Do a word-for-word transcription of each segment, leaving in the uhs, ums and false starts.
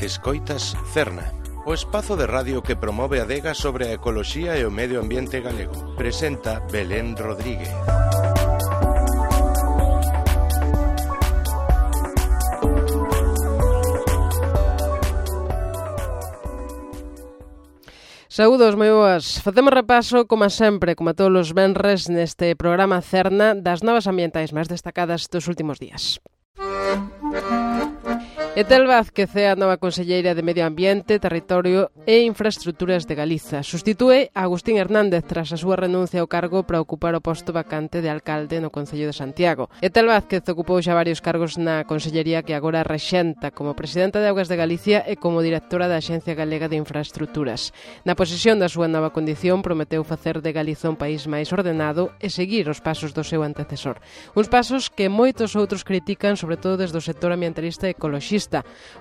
Escoitas Cerna, o espazo de radio que promove a adega sobre a ecoloxía e o medio ambiente galego. Presenta Belén Rodríguez. Saúdos, moi boas. Facemos repaso, como sempre, como a todos os venres, neste programa Cerna das novas ambientais máis destacadas dos últimos días. Etel Vázquez é a nova conselleira de Medio Ambiente, Territorio e Infraestruturas de Galiza. Sustitúe a Agustín Hernández tras a súa renuncia ao cargo para ocupar o posto vacante de alcalde no Concello de Santiago. Etel Vázquez ocupou xa varios cargos na consellería que agora rexenta como presidenta de Augas de Galicia e como directora da Axencia Galega de Infraestruturas. Na posesión da súa nova condición prometeu facer de Galiza un país máis ordenado e seguir os pasos do seu antecesor. Uns pasos que moitos outros critican, sobre todo desde o sector ambientalista e ecoloxista.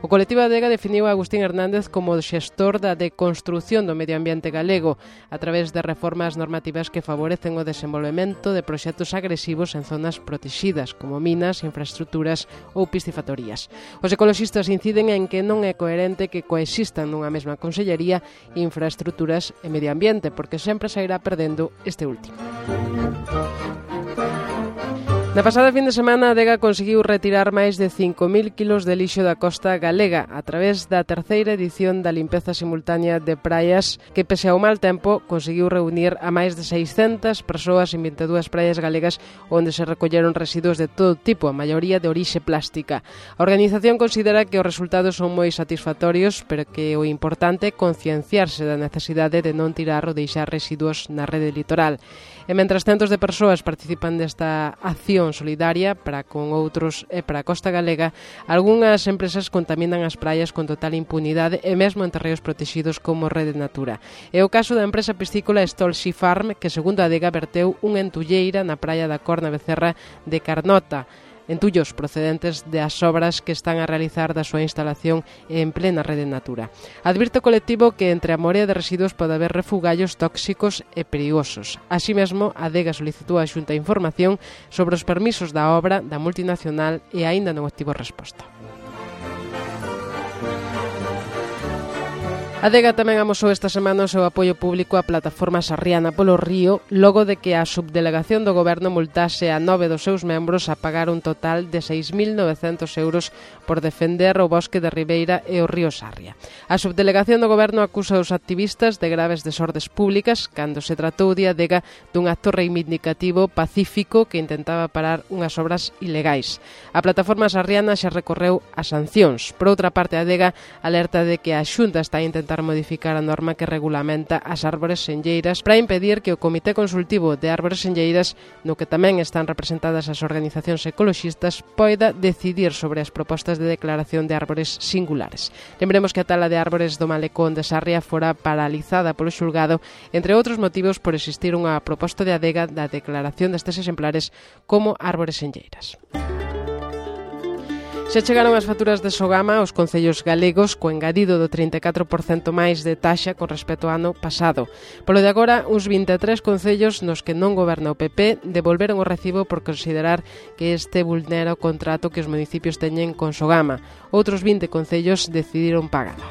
O colectivo Adega definiu a Agustín Hernández como o xestor da deconstrución do medio ambiente galego a través de reformas normativas que favorecen o desenvolvemento de proxectos agresivos en zonas protexidas, como minas, infraestruturas ou piscifactorías. Os ecoloxistas inciden en que non é coherente que coexistan nunha mesma consellería infraestruturas e medio ambiente, porque sempre se irá perdendo este último. Na pasada fin de semana, a Adega conseguiu retirar máis de cinco mil kilos de lixo da costa galega a través da terceira edición da limpeza simultánea de praias que, pese ao mal tempo, conseguiu reunir a máis de seiscentas persoas en vinte e dúas praias galegas onde se recolleron residuos de todo tipo, a maioría de orixe plástica. A organización considera que os resultados son moi satisfactorios, pero que o importante é concienciarse da necesidade de non tirar ou deixar residuos na rede litoral. E mentras centos de persoas participan desta acción solidaria para con outros e para a costa galega, algunhas empresas contaminan as praias con total impunidade e mesmo en terreos protexidos como Rede Natura. É o caso da empresa piscícola Stol Sea Farm, que segundo a Adega verteu unha entulleira na praia da Corna Becerra de Carnota, entullos procedentes das obras que están a realizar da súa instalación en plena Rede Natura. Advirte o colectivo que entre a morea de residuos pode haber refugallos tóxicos e perigosos. Así mesmo, a Adega solicitou a Xunta información sobre os permisos da obra da multinacional e aínda non obtivo resposta. A Adega tamén amosou esta semana o seu apoio público á plataforma Sarriana polo Río, logo de que a subdelegación do Goberno multase a nove dos seus membros a pagar un total de seis mil novecentos euros por defender o bosque de Ribeira e o río Sarria. A subdelegación do Goberno acusa os activistas de graves desordes públicas cando se tratou de Adega dun acto reivindicativo pacífico que intentaba parar unhas obras ilegais. A plataforma Sarriana xa recorreu a sancións. Por outra parte, a Adega alerta de que a Xunta está a intentar modificar a norma que regulamenta as árbores senlleiras para impedir que o Comité Consultivo de Árbores Senlleiras, no que tamén están representadas as organizacións ecoloxistas, poida decidir sobre as propostas de declaración de árbores singulares. Lembremos que a tala de árbores do Malecón de Sarria fora paralizada polo xulgado, entre outros motivos por existir unha proposta de Adega da declaración destes exemplares como árbores senlleiras. Xa chegaron as facturas de Sogama aos concellos galegos co engadido do trinta e catro por cento máis de taxa con respecto ao ano pasado. Polo de agora, uns vinte e tres concellos nos que non goberna o P P devolveron o recibo por considerar que este vulnera o contrato que os municipios teñen con Sogama. Outros vinte concellos decidiron pagala.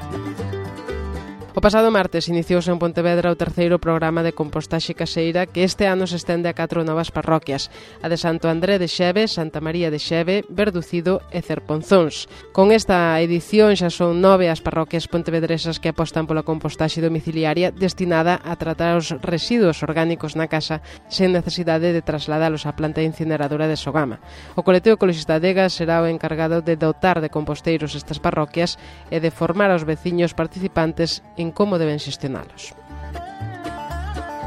O pasado martes iniciouse en Pontevedra o terceiro programa de compostaxe caseira que este ano se estende a catro novas parroquias, a de Santo André de Xeve, Santa María de Xeve, Verducido e Cerponzóns. Con esta edición xa son nove as parroquias pontevedresas que apostan pola compostaxe domiciliaria destinada a tratar os residuos orgánicos na casa sen necesidade de trasladalos á planta incineradora de Sogama. O colectivo ecoloxista Adega será o encargado de dotar de composteiros estas parroquias e de formar aos veciños participantes en como deben xestionalos.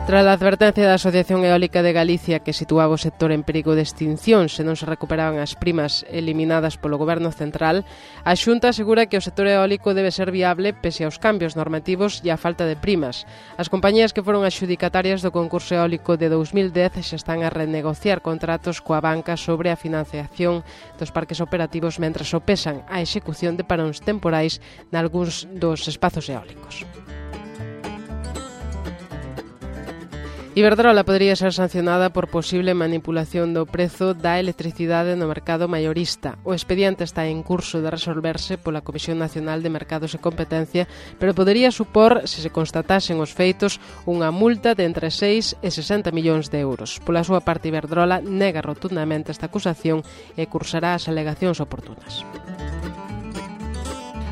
Tras a advertencia da Asociación Eólica de Galicia que situaba o sector en perigo de extinción se non se recuperaban as primas eliminadas polo Goberno Central, a Xunta asegura que o sector eólico debe ser viable pese aos cambios normativos e a falta de primas. As compañías que foron adxudicatarias do concurso eólico de dous mil dez xa están a renegociar contratos coa banca sobre a financiación dos parques operativos mentras sopesan a execución de paróns temporais nalgúns dos espazos eólicos. Iberdrola podría ser sancionada por posible manipulación do prezo da electricidade no mercado maiorista. O expediente está en curso de resolverse pola Comisión Nacional de Mercados e Competencia, pero podería supor, se se constatasen os feitos, unha multa de entre seis e sesenta millóns de euros. Pola súa parte, Iberdrola nega rotundamente esta acusación e cursará as alegacións oportunas.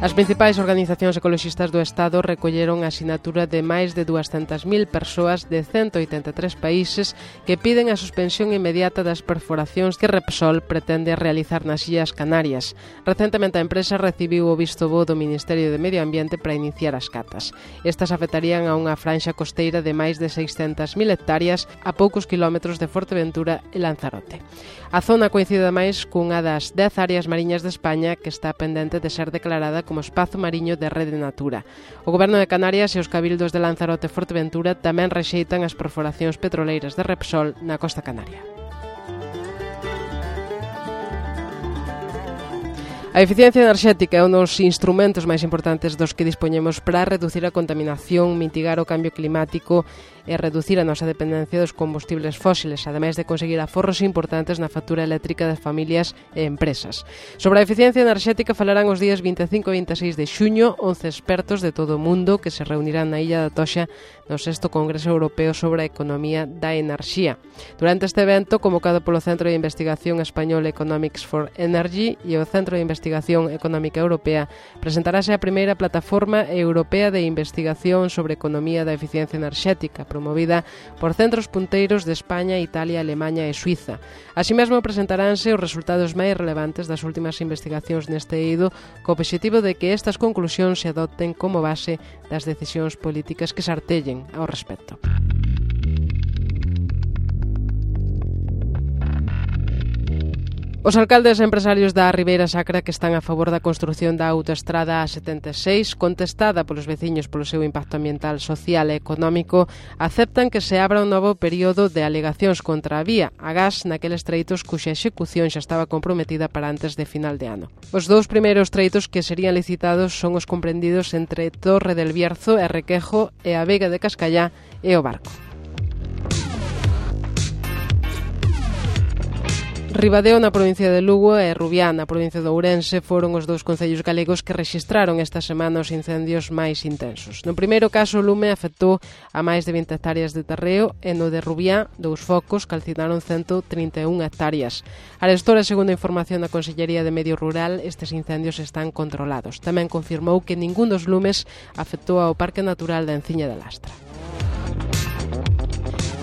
As principais organizacións ecoloxistas do Estado recolleron a asinatura de máis de duascentas mil persoas de ciento oitenta e tres países que piden a suspensión inmediata das perforacións que Repsol pretende realizar nas Illas Canarias. Recentemente a empresa recibiu o visto bo do Ministerio de Medio Ambiente para iniciar as catas. Estas afectarían a unha franxa costeira de máis de seiscentas mil hectáreas a poucos kilómetros de Forteventura e Lanzarote. A zona coincide máis cunha das dez áreas mariñas de España que está pendente de ser declarada como espazo mariño de Rede Natura. O Goberno de Canarias e os cabildos de Lanzarote e Forteventura tamén rexeitan as perforacións petroleiras de Repsol na costa canaria. A eficiencia enerxética é un dos instrumentos máis importantes dos que dispoñemos para reducir a contaminación, mitigar o cambio climático e reducir a nosa dependencia dos combustibles fósiles, ademais de conseguir aforros importantes na factura eléctrica das familias e empresas. Sobre a eficiencia enerxética falarán os días vinte e cinco e vinte e seis de xuño once expertos de todo o mundo que se reunirán na Illa da Toxa no sexto Congreso Europeo sobre a Economía da Enerxía. Durante este evento, convocado polo Centro de Investigación Español Economics for Energy e o Centro de Investigación Económica Europea, presentarase a primeira plataforma europea de investigación sobre economía da eficiencia enerxética, promovida por centros punteiros de España, Italia, Alemaña e Suiza. Así mesmo presentaránse os resultados máis relevantes das últimas investigacións neste eido, co obxectivo de que estas conclusións se adopten como base das decisións políticas que se artellen ao respecto. Os alcaldes e empresarios da Ribeira Sacra que están a favor da construción da autoestrada A setenta e seis, contestada polos veciños polo seu impacto ambiental, social e económico, aceptan que se abra un novo período de alegacións contra a vía, agás naqueles treitos cuxa execución xa estaba comprometida para antes de final de ano. Os dous primeiros treitos que serían licitados son os comprendidos entre Torre del Bierzo e Requejo e a Vega de Cascallá e o Barco. Ribadeo na provincia de Lugo e Rubiá na provincia de Ourense foron os dous concellos galegos que rexistraron esta semana os incendios máis intensos. No primeiro caso, o lume afectou a máis de vinte hectáreas de terreo e no de Rubiá, dous focos calcinaron ciento trinta e unha hectáreas. Arestora, segundo a información da Consellería de Medio Rural, estes incendios están controlados. Tamén confirmou que ningún dos lumes afectou ao Parque Natural da Enciña de Lastra.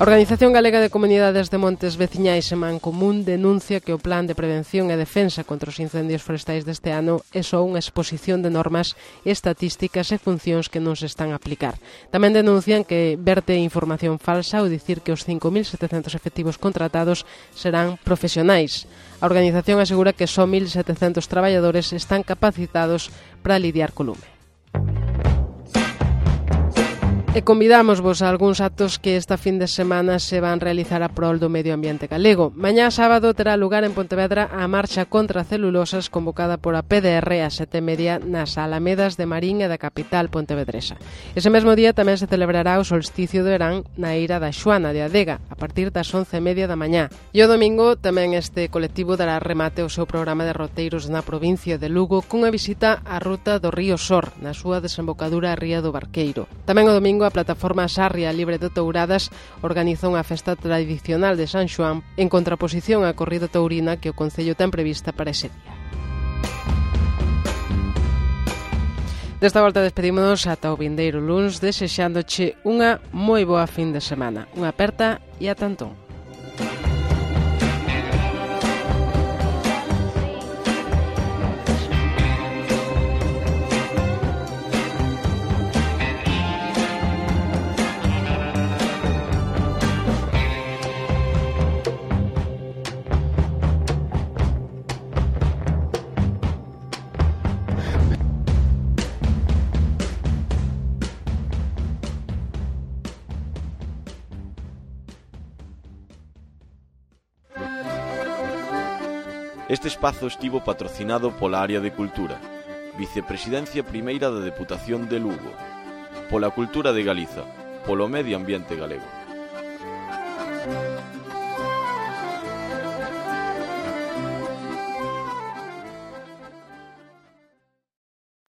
A Organización Galega de Comunidades de Montes Veciñais e Mancomún denuncia que o Plan de Prevención e Defensa contra os Incendios Forestais deste ano é só unha exposición de normas, estatísticas e funcións que non se están a aplicar. Tamén denuncian que verte información falsa ao dicir que os cinco mil setecentos efectivos contratados serán profesionais. A organización asegura que só mil setecentos traballadores están capacitados para lidiar co lume. E convidámosvos a algúns actos que esta fin de semana se van realizar a prol do medio ambiente galego. Mañá sábado terá lugar en Pontevedra a marcha contra celulosas convocada por a P D R a sete e media nas Alamedas de Marín e da capital pontevedresa. Ese mesmo día tamén se celebrará o solsticio de verán na Eira da Xoana de Adega a partir das once e media da mañá. E o domingo tamén este colectivo dará remate ao seu programa de roteiros na provincia de Lugo cunha visita á ruta do río Sor na súa desembocadura a Ría do Barqueiro. Tamén o domingo a plataforma Sarria Libre de Touradas organiza unha festa tradicional de San Xoán en contraposición á corrida taurina que o Concello ten prevista para ese día. Desta volta despedímonos ata o vindeiro luns desexándoche unha moi boa fin de semana. Unha aperta e ata entón. Este espazo estivo patrocinado pola Área de Cultura, Vicepresidencia Primeira da Deputación de Lugo, pola Cultura de Galiza, polo Medio Ambiente Galego.